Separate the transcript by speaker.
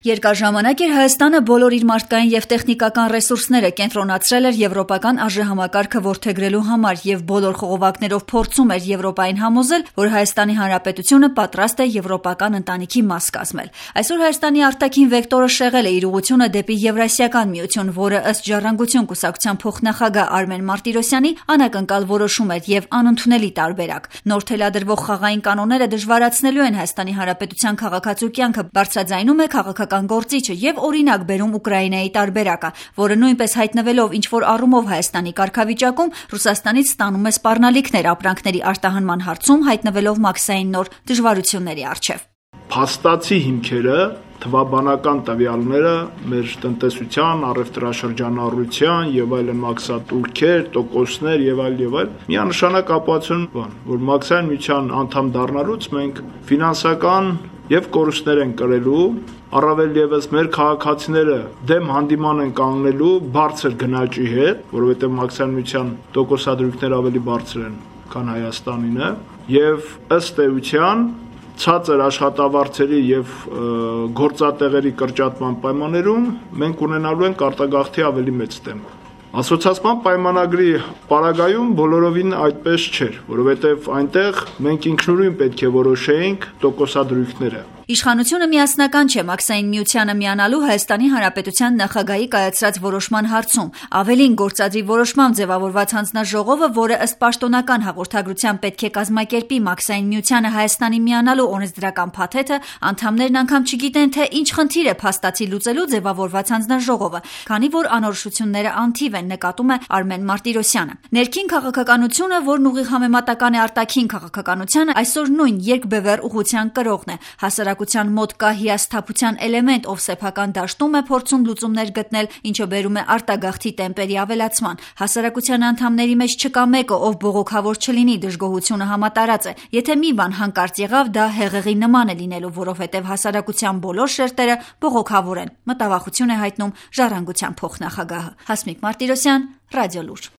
Speaker 1: Երկար ժամանակ էր Հայաստանը բոլոր իր մարդկային և տեխնիկական ռեսուրսները կենտրոնացրել էր եվրոպական արժեհամակարգը որդեգրելու համար և բոլոր խողովակներով փորձում էր Եվրոպային համոզել, որ Հայաստանի Հանրապետությունը պատրաստ է եվրոպական ընտանիքի մաս կազմել։ Այսօր Հայաստանի արտաքին վեկտորը շեղել է իր ուղղությունը դեպի Եվրասիական միություն, որը ըստ Ժառանգություն կուսակցության փոխնախագահ Արմեն Մարտիրոսյանի անակնկալ որոշում էր և անընդունելի տարբերակ։ Նոր թելադրվող խաղային կանոնները դժվարացնելու են Հայաստանի Հանրապետության քաղաքացու կյանքը, բարձրաձայնում է քաղաքական գործիչը և օրինակ բերում Ուկրաինայի տարբերակը, որը նույնպես հայտնվելով ինչ-որ առումով Հայաստանի կարգավիճակում Ռուսաստանից ստանում է սպառնալիքներ ապրանքների արտահանման հարցում, հայտնվելով մաքսային նոր դժվարությունների առջև։
Speaker 2: Փաստացի հիմքերը, թվաբանական տվյալները մեր տնտեսության, առևտրաշրջանառության եւ այլն մաքսատուրքեր, տոկոսներ եւ այլ միանշանակ ապացուցում են, որ մաքսային միության անդամ դառնալուց մենք ֆինանսական եւ կորուստներ են կրելու, առավել եւս մեր քաղաքացիները դեմ հանդիման են կանգնելու բարձր գնաճի հետ, որովհետեւ մաքսային միության տոկոսադրույքները ավելի բարձր են, քան Հայաստանինը, եւ ըստ էության ցածր աշխատավարձերի եւ գործատեղերի կրճատման պայմաններում մենք ունենալու ենք արտագաղթի ավելի մեծ տեմպ։ Ասոցիացիան պայմանագրի պարագայում բոլորովին այդպես չէր, որովհետեւ այնտեղ մենք ինքնուրույն պետք է որոշեինք տոկոսադրույքները։
Speaker 1: Իշխանությունը միասնական չէ մաքսային միությանը միանալու Հայաստանի Հանրապետության նախագահի կայացրած որոշման հարցում։ Ավելին, գործադրի որոշմամբ ձևավորված հանձնաժողովը, որը ըստ պաշտոնական հաղորդագրության պետք է կազմակերպի մաքսային միությանը Հայաստանի միանալու օրենսդրական փաթեթը, անդամներն անգամ չգիտեն, թե ինչ խնդիր է փաստացի լուծելու ձևավորված հանձնաժողովը, քանի որ անորոշությունները անթիվ են, նկատում է Արմեն Մարտիրոսյանը։ Ներքին քաղաքականությունը, որն ուղիղ համեմատական է արտաքին քաղաքականությանը, այսօր նույն երկբևեռ ուղղության կրողն է։ Հասարակության մոտ կա հիասթափության էլեմենտ, ով սեփական դաշտում է փորձում լուծումներ գտնել, ինչը բերում է արտագաղթի տեմպերի ավելացման։ Հասարակության անդամների մեջ չկա մեկը, ով բողոքավոր չլինի, դժգոհությունը համատարած է։ Եթե մի բան հանկարծ եղավ, դա հեղեղի նման է լինելու, որովհետև հասարակության բոլոր շերտերը բողոքավոր են, մտավախություն է հայտնում Ժառանգության փոխնախագահը։ Հասմիկ Մարտիրոսյան, Ռադիոլուր։